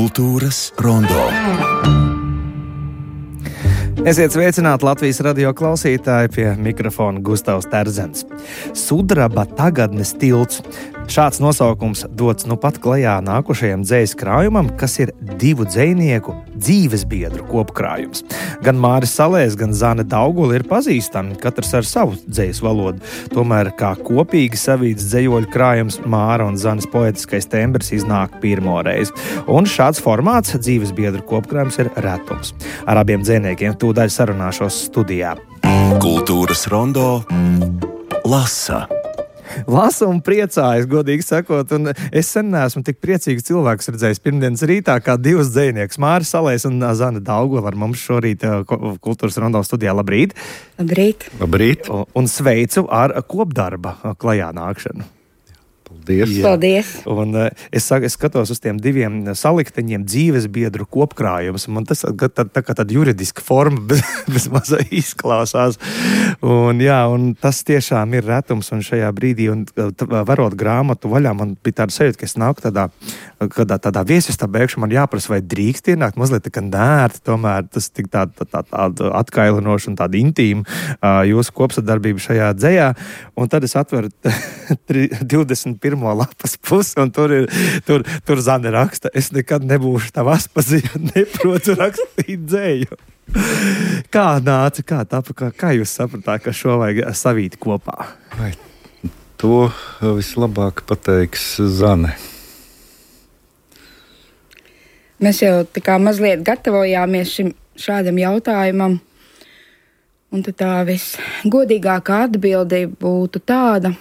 Kultūras rondo. Esiet sveicināti Latvijas radio klausītāji, pie mikrofona Gustavs Terzens. Sudraba tagadnes tilts. Šāds nosaukums dots nu pat klajā nākošajam dzejas krājumam, kas ir divu dzejnieku dzīvesbiedru kopkrājums. Gan Māris Salējs, gan Zane Daugula ir pazīstami, katrs ar savu dzejas valodu. Tomēr kā kopīgi savīts dzejoļu krājums Māra un Zanes poetiskais tembrs iznāk pirmoreiz. Un šāds formāts dzīvesbiedru kopkrājums ir retums. Ar abiem dzejniekiem tūdaļ sarunāšos studijā. Kultūras rondo lasa. Lasu un priecājas, godīgi sakot, un es sen neesmu tik priecīgs cilvēks redzējis pirmdienas rītā, kā divus dzejniekus, Māris Salējs un Zane Daugula ar mums šorīt Kultūras rondo studijā. Labrīt! Labrīt! Labrīt! Un sveicu ar kopdarba klajā nākšanu. Paldies! Paldies! Un es skatos uz tiem diviem salikteņiem dzīvesbiedru kopkrājums. Man tas tā kā tāda juridiska forma bez mazā izklausās. Un tas tiešām ir retums. Un šajā brīdī, varot grāmatu vaļā, man bija tāda sajūta, ka es nāku tādā viesistabā iekšā. Man jāprasa, vai drīkst ienākt mazliet tā kā nērti. Tomēr tas tik tāda atkailinoša un tāda intīma jūsu kopsadarbība šajā dzejā. Un tad es atveru 21. lapas pusi, un tur Zane raksta, es nekad nebūšu tavas pazīst, neprotu rakstīt dzēju. Kā nāca, kā jūs sapratāt, ka šo vajag savīt kopā? Vai to vislabāk pateiks Zane. Mēs jau tā kā mazliet gatavojāmies šādam jautājumam, un tad tā visgodīgākā atbilde būtu tāda,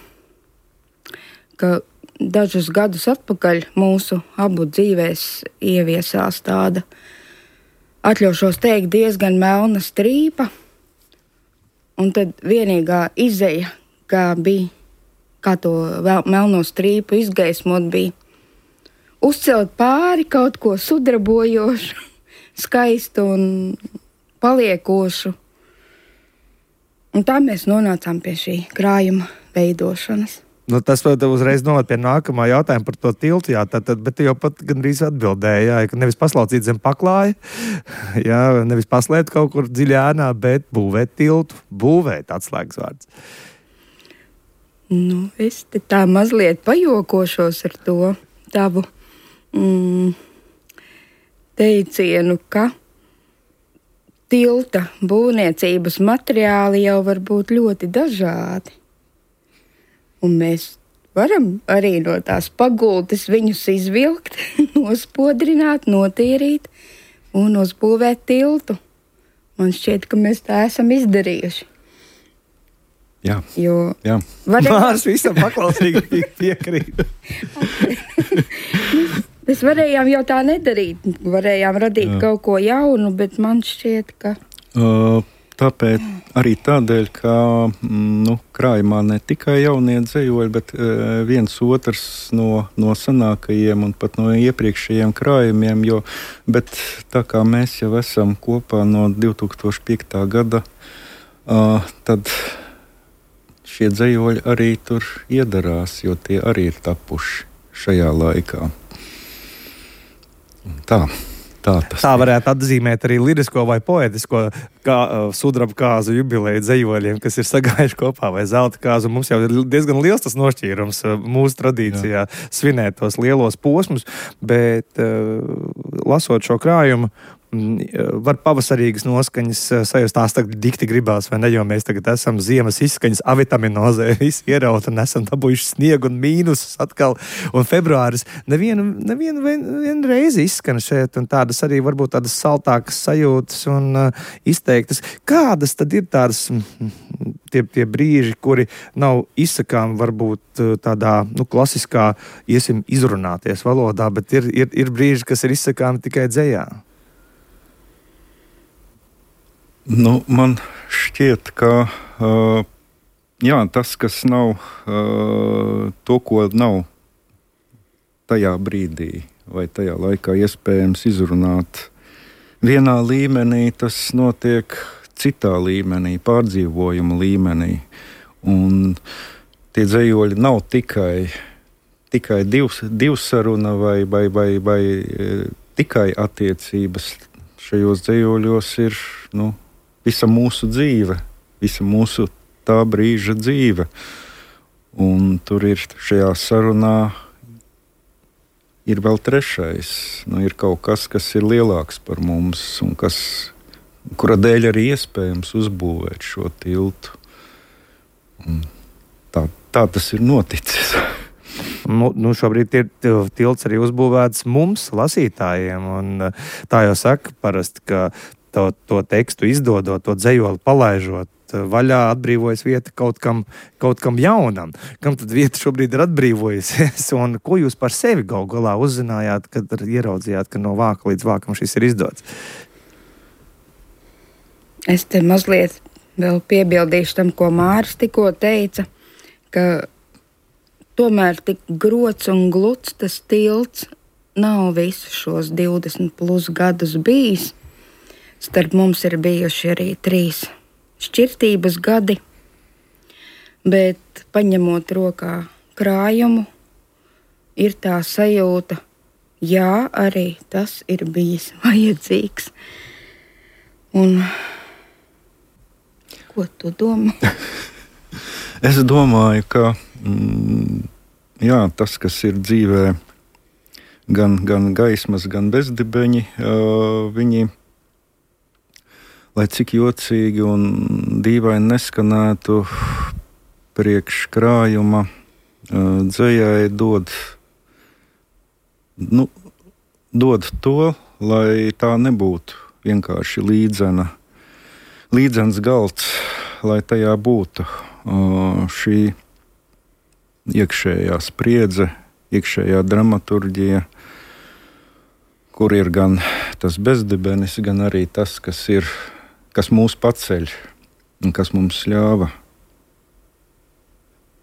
ka dažus gadus atpakaļ mūsu abu dzīvēs ieviesās tāda, atļaušos teikt, diezgan melna strīpa, un tad vienīgā izeja, kā to melno strīpu izgaismot, bija uzcelt pāri kaut ko sudrabojošu, skaistu un paliekošu. Un tā mēs nonācām pie šī krājuma veidošanas. Tas uzreiz noved pie nākamā jautājuma par to tiltu, bet jau pat gandrīz atbildēja, ka nevis paslaucīt zem paklāja, nevis paslēpt kaut kur dziļā ēnā, bet būvēt tiltu, būvēt atslēgas vārds. Es te tā mazliet pajokošos ar to tavu teicienu, ka tilta būvniecības materiāli jau var būt ļoti dažādi. Un mēs varam arī no tās pagultes viņus izvilkt, nospodrināt, notīrīt un uzbūvēt tiltu. Man šķiet, ka mēs tā esam izdarījuši. Jā. Mārs visam paklausīgi piekrīt. Mēs varējām jau tā nedarīt. Varējām radīt kaut ko jaunu, bet man šķiet, ka... Tāpēc arī tādēļ, ka krājumā ne tikai jaunie dzejoļi, bet viens otrs no senākajiem un pat no iepriekšējiem krājumiem, bet tā kā mēs jau esam kopā no 2005. gada, tad šie dzejoļi arī tur iedarās, jo tie arī ir tapuši šajā laikā. Tā varētu atzīmēt arī lirisko vai poetisko sudraba kāzu jubileju dzejoļiem, kas ir sagājuši kopā, vai zelta kāzu. Mums jau ir diezgan liels tas nošķīrums mūsu tradīcijā svinēt tos lielos posmus, bet lasot šo krājumu, var pavasarīgas noskaņas sajust, tās tagad dikti gribās, vai ne, jo mēs tagad esam ziemas izskaņas avitaminozē, visi ieraut un esam dabūjuši sniegu un mīnusus atkal, un februāris nevienu reizi izskan šeit, un tādas arī varbūt tādas saltākas sajūtas un izteiktas. Kādas tad ir tādas tie brīži, kuri nav izsakām varbūt tādā, klasiskā, izrunāties valodā, bet ir brīži, kas ir izsakām tikai dzejā? Man šķiet, ka tas, kas nav to, ko nav tajā brīdī vai tajā laikā iespējams izrunāt vienā līmenī, tas notiek citā līmenī, pārdzīvojuma līmenī. Un tie dzejoļi nav tikai divsaruna vai tikai attiecības. Šajos dzejoļos ir visa mūsu dzīve, visa mūsu tā brīža dzīve. Un tur ir šajā sarunā ir vēl trešais. Ir kaut kas, kas ir lielāks par mums un kura dēļ arī iespējams uzbūvēt šo tiltu. Un tā tas ir noticis. Šobrīd ir tilts arī uzbūvēts mums, lasītājiem. Un tā jau saka parasti, ka to tekstu izdodot, to dzejoli palaižot vaļā, atbrīvojas vieta kaut kam jaunam. Kam tad vieta šobrīd ir atbrīvojusies? Un ko jūs par sevi galu galā uzzinājāt, kad ieraudzījāt, ka no vāka līdz vākam šis ir izdots? Es te mazliet vēl piebildīšu tam, ko Māris tikko teica, ka tomēr tik grots un gluds tas tilts nav visus šos 20+ gadus bijis. Starp mums ir bijuši arī 3 šķirtības gadi, bet paņemot rokā krājumu, ir tā sajūta, jā, arī tas ir bijis vajadzīgs. Un ko tu domā? Es domāju, ka tas, kas ir dzīvē, gan gaismas, gan bezdibeņi, viņi, lai cik jocīgi un dīvaini neskanētu, priekš krājuma dzejai dod to, lai tā nebūtu vienkārši līdzens galds, lai tajā būtu šī iekšējā spriedze, iekšējā dramaturģija, kur ir gan tas bezdibenis, gan arī tas, kas mūs paceļ un kas mums ļāva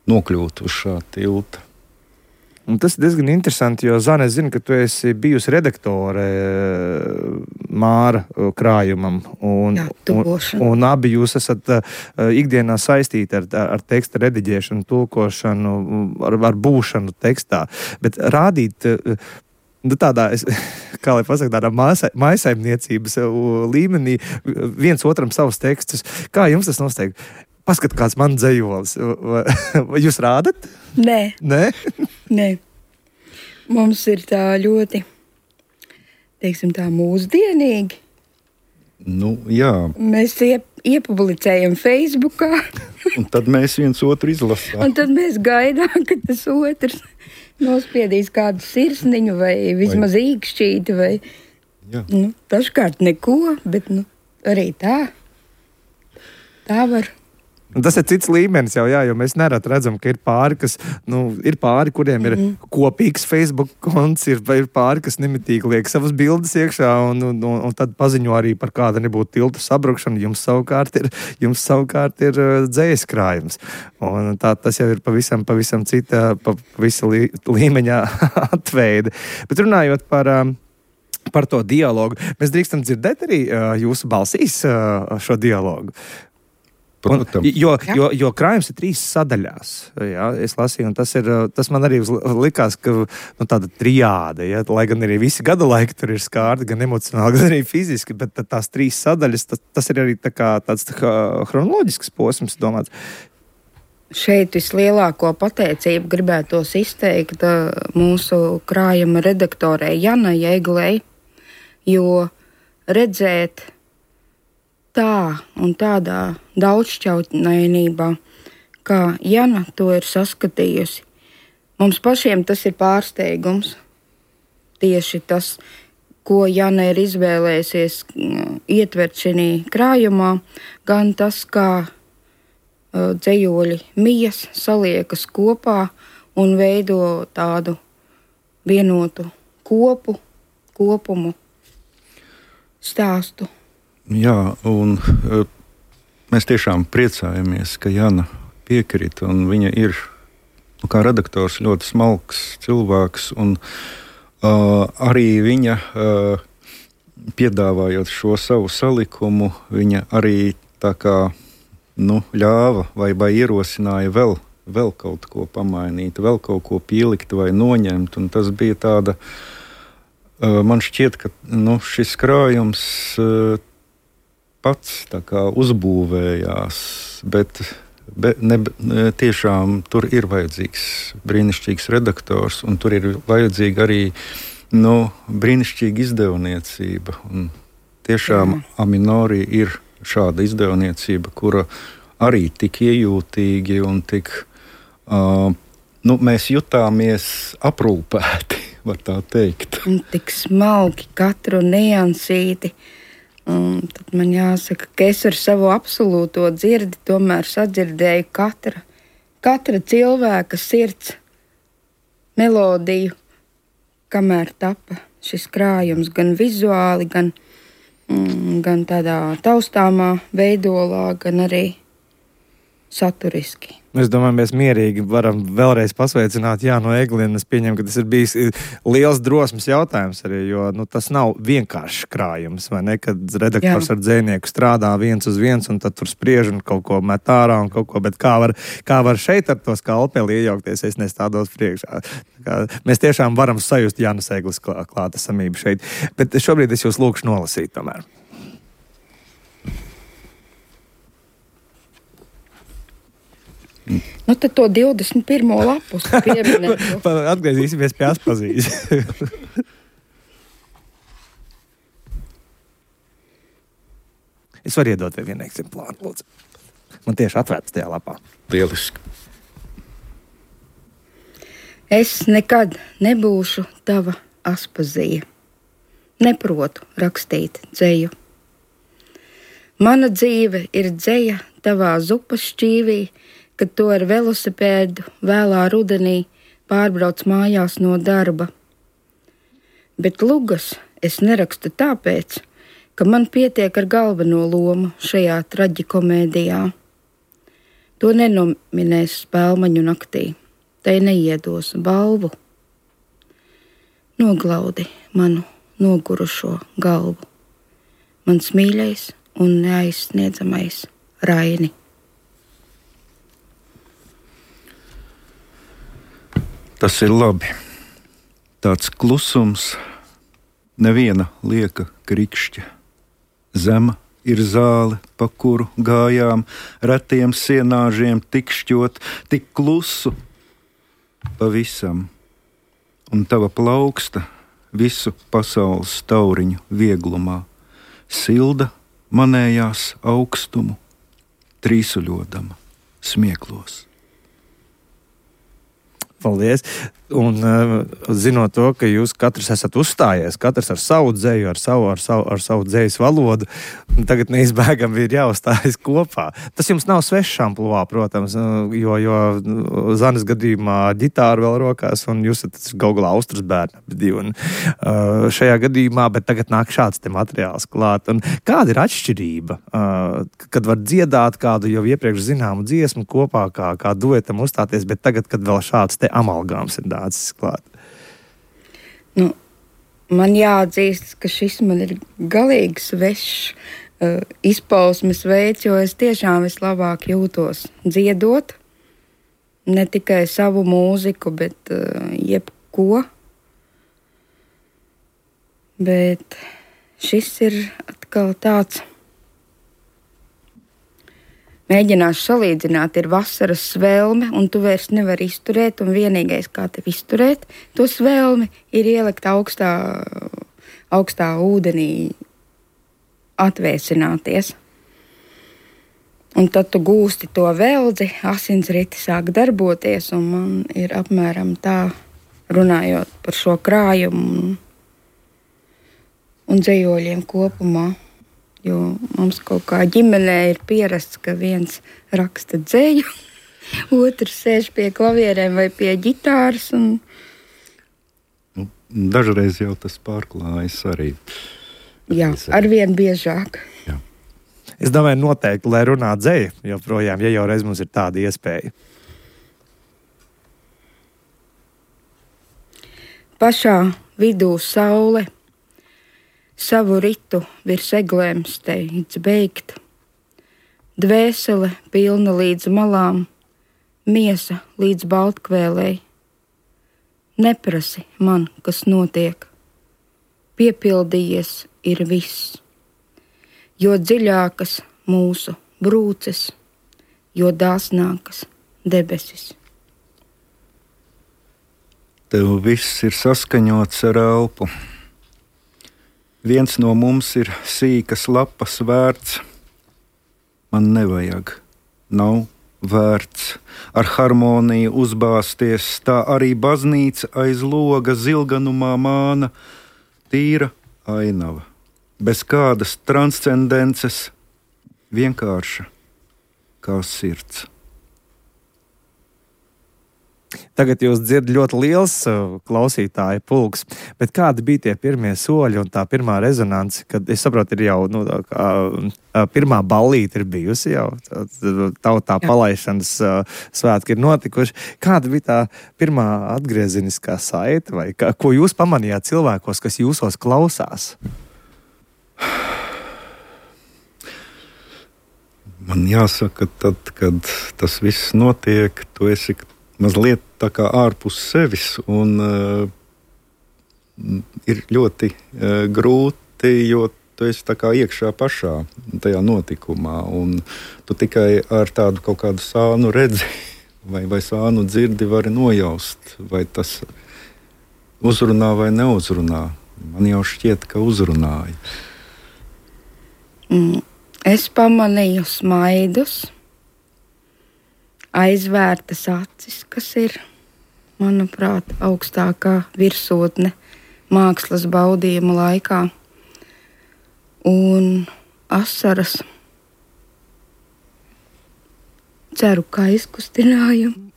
nokļūt uz šā tilta. Un tas ir diezgan interesanti, jo, Zane, es zinu, ka tu esi bijusi redaktore Māra krājumam. Un abi jūs esat ikdienā saistīti ar teksta rediģēšanu, tulkošanu, ar būšanu tekstā. Bet rādīt tādā, kā lai pasaka, tādā mājasaimniecības līmenī viens otram savus tekstus. Kā jums tas nosteig? Paskat, kāds man dzejolis. Vai jūs rādat? Nē. Nē. Mums ir tā ļoti, teiksim tā, mūsdienīgi. Jā. Mēs iepublicējam Facebookā. Un tad mēs viens otru izlasām. Un tad mēs gaidām, ka tas otrs nospiedīs kādu sirsniņu vai vismaz īkšķīti vai, dažkārt neko, bet arī tā var. Tas ir cits līmenis jau, jo mēs nerad redzam, ka ir pāri, ir pāri, kuriem ir kopīgs Facebook konts, ir pāri, kas nemitīgi liek savas bildes iekšā un tad paziņo arī par kāda nebūtu tiltu sabrukšanu. Jums savukārt ir dzējas krājums. Un tas jau ir pavisam cita, visa līmeņa atveide. Bet runājot par to dialogu, mēs drīkstam dzirdēt arī jūsu balsīs šo dialogu. Jo krājums ir 3 sadaļās. Jā, es lasīju, un tas man arī likās, ka tāda triāde, lai gan arī visi gada laiki tur ir skārti, gan emocionāli, gan arī fiziski, bet tās 3 sadaļas, tas ir arī tāds chronoloģisks posms, domāts. Šeit vislielāko pateicību gribētos izteikt mūsu krājuma redaktorei Janai Eglei, jo redzēt tā un tādā daudzšķautnainībā, kā Jana to ir saskatījusi. Mums pašiem tas ir pārsteigums. Tieši tas, ko Jana ir izvēlējusies ietvert šajā krājumā, gan tas, kā dzejoļi mijas saliekas kopā un veido tādu vienotu kopumu stāstu. Jā, un mēs tiešām priecājamies, ka Jana piekrita, un viņa ir, kā redaktors, ļoti smalks cilvēks, un arī viņa, piedāvājot šo savu salikumu, viņa arī tā kā, ļāva vai ierosināja vēl kaut ko pamainīt, vēl kaut ko pielikt vai noņemt, un tas bija tāda Man šķiet, ka šis krājums pats tā kā uzbūvējās, bet tiešām tur ir vajadzīgs brīnišķīgs redaktors, un tur ir vajadzīga arī brīnišķīga izdevniecība. Un tiešām Aminori ir šāda izdevniecība, kura arī tik iejūtīgi un tik, mēs jutāmies aprūpēti, var tā teikt. Un tik smalki katru niansīti. Un tad man jāsaka, ka es ar savu absolūto dzirdi tomēr sadzirdēju katra cilvēka sirds melodiju, kamēr tapa šis krājums gan vizuāli, gan tādā taustāmā veidolā, gan arī saturiski. Es domāju, mēs mierīgi varam vēlreiz pasveicināt Jānu Eglinu. Es pieņemu, ka tas ir bijis liels drosmes jautājums arī, jo tas nav vienkāršs krājums, vai ne? Kad redaktors ar dzejnieku strādā viens uz viens un tad tur spriež un kaut ko met ārā un kaut ko, bet kā var šeit ar to skalpeli iejaukties, es nestādos priekšā. Mēs tiešām varam sajust Jānas Eglis klātesamību šeit, bet šobrīd es jūs lūkšu nolasīt tomēr. Tad to 21. lapus pieminēt. Atgriezīsimies pie Aspazītes. Es varu iedot vienu eksemplāru, lūdzu. Man tieši atvērts tajā lapā. Lieliski. Es nekad nebūšu tava Aspazija. Neprotu rakstīt dzeju. Mana dzīve ir dzeja tavā zupas šķīvī, kad to ar velosipēdu vēlā rudenī pārbrauc mājās no darba. Bet lugas es nerakstu tāpēc, ka man pietiek ar galveno lomu šajā traģikomēdijā. To nenominēs Spēlmaņu naktī, tai neiedos balvu. Noglaudi manu nogurušo galvu, mans mīļais un neaizsniedzamais Raini. Tas ir labi. Tāds klusums, neviena lieka krikšķa. Zema ir zāle, pa kuru gājām, retiem sienāžiem tikšķot, tik klusu pavisam. Un tava plauksta visu pasaules tauriņu vieglumā, silda manējās augstumu, trīsuļodama smieklos. Paldies. Un zinot to, ka jūs katrs esat uzstājies, katrs ar savu dzeju, ar savu dzejas valodu, tagad neizbēgami ir jāuzstājas kopā. Tas jums nav svešs ampluvā, protams, jo Zanes gadījumā ģitāra vēl rokās, un jūs esat galā Austras bērni. Un šajā gadījumā, bet tagad nāk šāds te materiāls klāt. Un kāda ir atšķirība, kad var dziedāt kādu jau iepriekš zināmu dziesmu kopā, kā duetam uzstāties, bet tagad, kad vēl šāds te amalgāms ir dācis klāt? Man jāatzīst, ka šis man ir galīgi svešs izpausmes veids, jo es tiešām vislabāk jūtos dziedot, ne tikai savu mūziku, bet jebko. Bet šis ir atkal tāds. Mēģināšu salīdzināt, ir vasaras svelme, un tu vairs nevari izturēt, un vienīgais, kā tev izturēt to svelmi, ir ielikt augstā ūdenī, atvēsināties. Un tad tu gūsti to veldzi, asinsriti sāk darboties, un man ir apmēram tā, runājot par šo krājumu un dzejoļiem kopumā. Jo mums kaut kā ģimenē ir pierasts, ka viens raksta dzeju, otrs sēž pie klavierēm vai pie ģitāras. Dažreiz jau tas pārklājas arī. Jā, arvien biežāk. Jā. Es domāju, noteikti, lai runā dzeja joprojām, ja jau reiz mums ir tāda iespēja. Pašā vidū saule. Savu ritu virs eglēm steidz beigt, dvēsele pilna līdz malām, miesa līdz baltkvēlei. Neprasi man, kas notiek, piepildījies ir viss. Jo dziļākas mūsu brūces, jo dāsnākas debesis. Tev viss ir saskaņots ar elpu. Viens no mums ir sīkas lapas vērts. Man nevajag, nav vērts ar harmoniju uzbāzties, tā arī baznīca aiz loga zilganumā māna, tīra ainava, bez kādas transcendences, vienkārša kā sirds. Tagad jūs dzirdat ļoti liels klausītāju pulks, bet kādi bija tie pirmie soļi un tā pirmā rezonance, kad es saprotu, ir jau pirmā ballīte ir bijusi jau, tautā palaišanas svētki ir notikuši. Kāda bija tā pirmā atgriezeniskā saite, vai ko jūs pamanījāt cilvēkos, kas jūsos klausās? Man jāsaka, tad, kad tas viss notiek, tu esi mazliet tā kā ārpus sevis, un ir ļoti grūti, jo tu esi tā kā iekšā pašā tajā notikumā, un tu tikai ar tādu kaut kādu sānu redzi vai sānu dzirdi vari nojaust, vai tas uzrunā vai neuzrunā. Man jau šķiet, ka uzrunāja. Es pamanīju smaidus, aizvērtas acis, kas ir, manuprāt, augstākā virsotne mākslas baudījuma laikā, un asaras, ceru, ka izkustinājumu.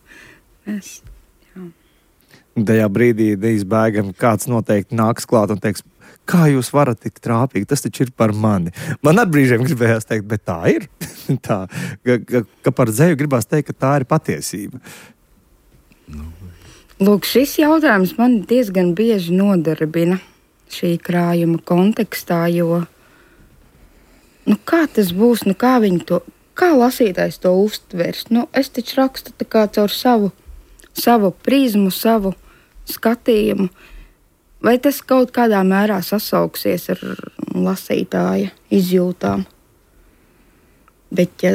Tajā brīdī neizbēgami kāds noteikti nāks klāt un teiks, kā jūs varat tik trāpīgi, tas taču ir par mani. Man ar brīžiem gribējās teikt, bet tā ir. Tā, ka par dzeju gribās teikt, ka tā ir patiesība. Lūk, šis jautājums man diezgan bieži nodarbina šī krājuma kontekstā, jo kā tas būs, kā lasītājs to uztvers? Es taču rakstu tā kā caur savu prizmu, savu skatījumu. Vai tas kaut kādā mērā sasauksies ar lasītāja izjūtām? Bet, ja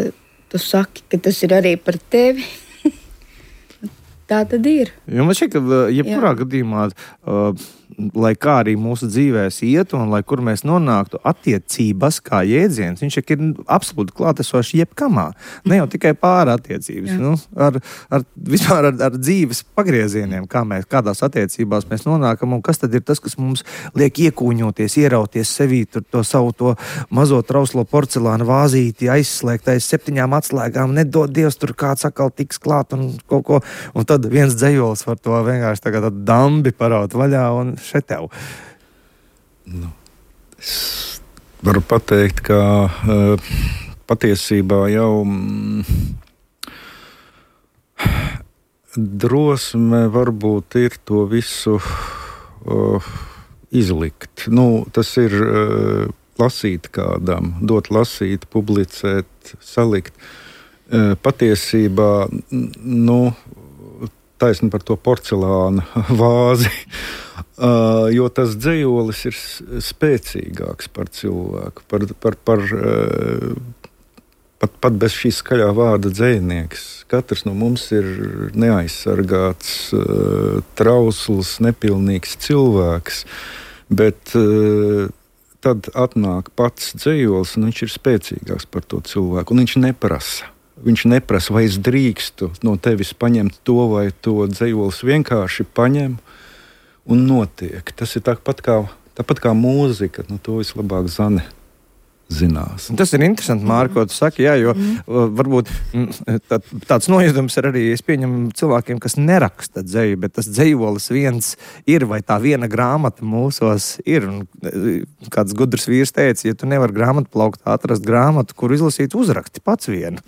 tu saki, ka tas ir arī par tevi, tā tad ir. Jo man šķiet, ka jebkurā gadījumā, lai kā arī mūsu dzīvēs iet un lai kur mēs nonāktu, attiecības kā jēdziens, viņš ir absolūti klātesošs jebkamā. Ne jau tikai pāri attiecības. Vispār ar dzīves pagriezieniem, kādās attiecībās mēs nonākam un kas tad ir tas, kas mums liek iekūņoties, ierauties sevī to savu to mazo trauslo porcelāna vāzīti, aizslēgt aiz 7 atslēgām, nedod Dievs, tur kāds atkal tiks klāt un kaut ko. Un tad viens dzejols var to vienkārši tagad dambi paraut vaļā un šetev. Es varu pateikt, ka patiesībā jau drosme varbūt ir to visu izlikt. Tas ir lasīt kādam, dot lasīt, publicēt, salikt. Patiesībā, taisni par to porcelāna vāzi, jo tas dzejolis ir spēcīgāks par cilvēku, pat bez šī skaļā vārda dzejnieks. Katrs no mums ir neaizsargāts, trausls, nepilnīgs cilvēks, bet tad atnāk pats dzejolis, un viņš ir spēcīgāks par to cilvēku, un viņš neprasa. Viņš neprasa, vai es drīkstu no tevis paņemt to vai to. Dzejolis vienkārši paņem un notiek. Tas ir tāpat kā mūzika, to vislabāk Zane zinās. Tas ir interesanti, Mārka, ko tu saki, jo varbūt tāds nojūtums ir arī, es pieņemu cilvēkiem, kas neraksta dzeju, bet tas dzejolis viens ir, vai tā viena grāmata mūsos ir. Un kāds gudrs vīrs teica, ja tu nevari grāmatu plaukt, atrast grāmatu, kur izlasīt, uzraksti pats vienu.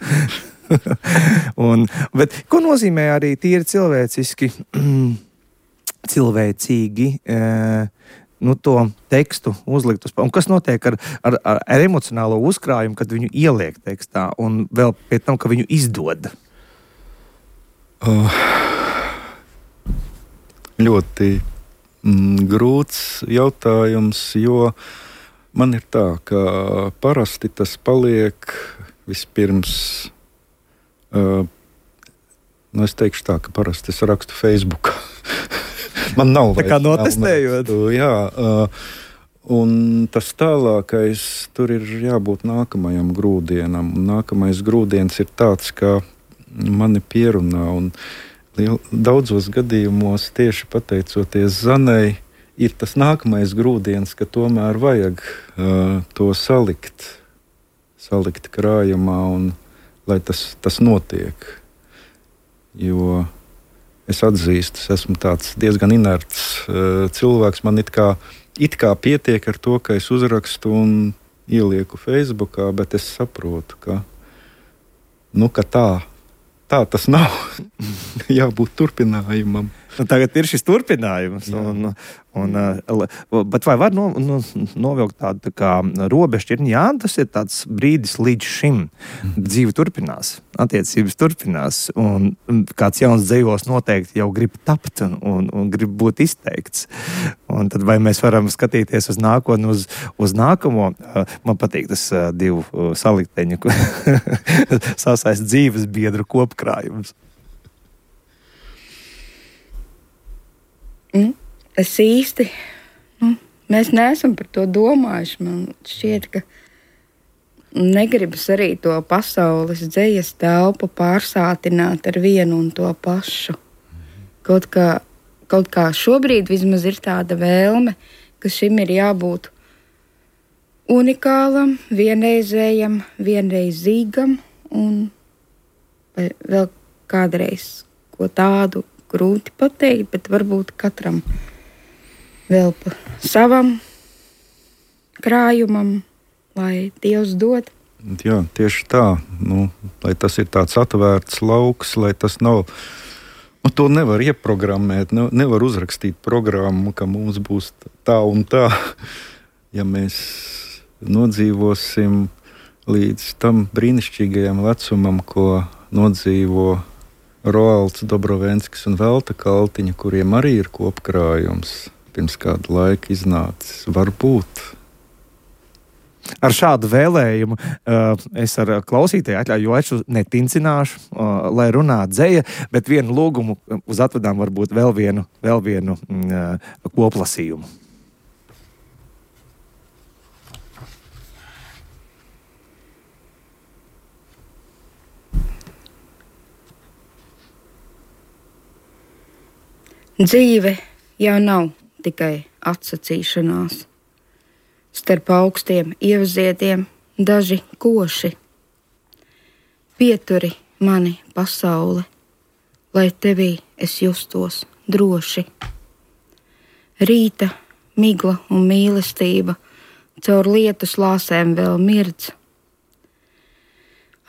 Bet ko nozīmē arī tīri cilvēcīgi to tekstu uzlikt uz... Un kas notiek ar emocionālo uzkrājumu, kad viņu ieliek tekstā un vēl pēc tam, ka viņu izdod? Ļoti Grūts jautājums, jo man ir tā, ka parasti tas paliek vispirms. Es teikšu tā, ka parasti es rakstu Facebookā. Man nav tā kā notestējot. Jā, un tas tālākais tur ir jābūt nākamajam grūdienam. Un nākamais grūdiens ir tāds, ka mani pierunā. Un daudzos gadījumos tieši pateicoties Zanei, ir tas nākamais grūdiens, ka tomēr vajag to salikt krājumā un lai tas notiek. Jo es atzīstu, es esmu tāds diezgan inerts cilvēks. Man it kā pietiek ar to, ka es uzrakstu un ielieku Facebookā, bet es saprotu, ka tā tas nav. Jābūt turpinājumam. Tagad ir šis turpinājums. Bet vai var novilkt tādu tā kā robežšķirtni? Jā, tas ir tāds brīdis līdz šim. Dzīve turpinās, attiecības turpinās. Un kāds jauns dzejos noteikti jau grib tapt un grib būt izteikts. Un tad vai mēs varam skatīties uz nākotni, uz nākamo? Man patīk tas divu salikteņu sasaist dzīves biedru kopkrājums. Es īsti, mēs neesam par to domājuši. Man šķiet, ka negribas arī to pasaules dzejas telpu pārsātināt ar vienu un to pašu. Kaut kā šobrīd vismaz ir tāda vēlme, ka šim ir jābūt unikālam, vienreizējam, vienreizīgam un vēl kādreiz ko tādu grūti pateikt, bet varbūt katram vēl pa savam krājumam, lai Dievs dod. Jā, tieši tā. Lai tas ir tāds atvērts lauks, lai tas nav. To nevar ieprogrammēt, nevar uzrakstīt programmu, ka mums būs tā un tā. Ja mēs nodzīvosim līdz tam brīnišķīgajam vecumam, ko nodzīvo Roalds Dobrovenskis un Velta Kaltiņa, kuriem arī ir kopkrājums, pirms kādu laiku iznācis. Varbūt. Ar šādu vēlējumu es ar klausītāju atļauju netincināšu, lai runā dzeja, bet vienu lūgumu uz atvedām varbūt vēl vienu koplasījumu. Dzīve jau nav tikai atsacīšanās. Starp augstiem ievziediem daži koši. Pieturi mani pasaule, lai tevī es justos droši. Rīta, migla un mīlestība caur lietus lāsēm vēl mirdz.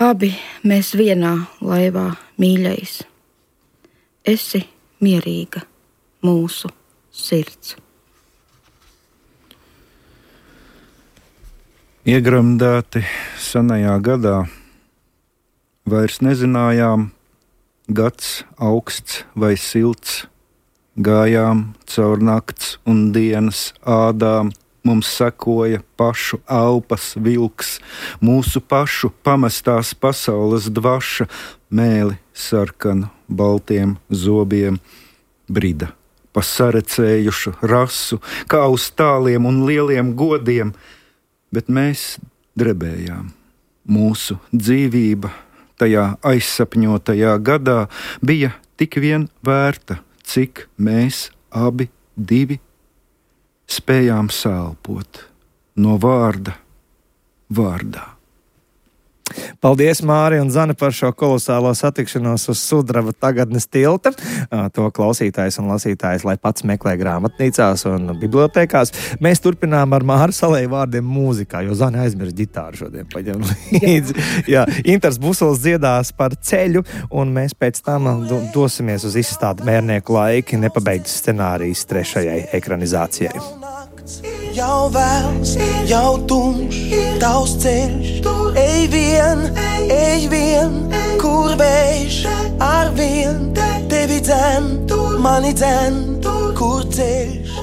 Abi mēs vienā laivā, mīļais. Esi mierīga mūsu sirds. Iegremdēti senajā gadā, vairs nezinājām, gads augsts vai silts, gājām caur nakts un dienas ādām, mums sekoja pašu elpas vilks, mūsu pašu pamestās pasaules dvaša, mēli sarkanu baltiem zobiem, brida pa sarecējušu rasu, kā uz tāliem un lieliem godiem, bet mēs drebējām. Mūsu dzīvība tajā aizsapņotajā gadā bija tik vien vērta, cik mēs abi divi spējām sēlpot no vārda vārdā. Paldies, Māri un Zane, par šo kolosālo satikšanos uz Sudraba tagadnes tilta. To klausītājs un lasītājs, lai pats meklē grāmatnīcās un bibliotēkās. Mēs turpinām ar Māri Salēju vārdiem mūzikā, jo Zane aizmirst ģitāru šodien paņem līdzi. Jā, Intars Busols dziedās par ceļu, un mēs pēc tam dosimies uz izstādi Mērnieku laiki, nepabeigts scenārijs 3. ekranizācijai. Jau vēls, jau tumšs, tavs ceļš, ej vien, kur vējš, ar vien, tevi dzen, mani dzen, kur ceļš.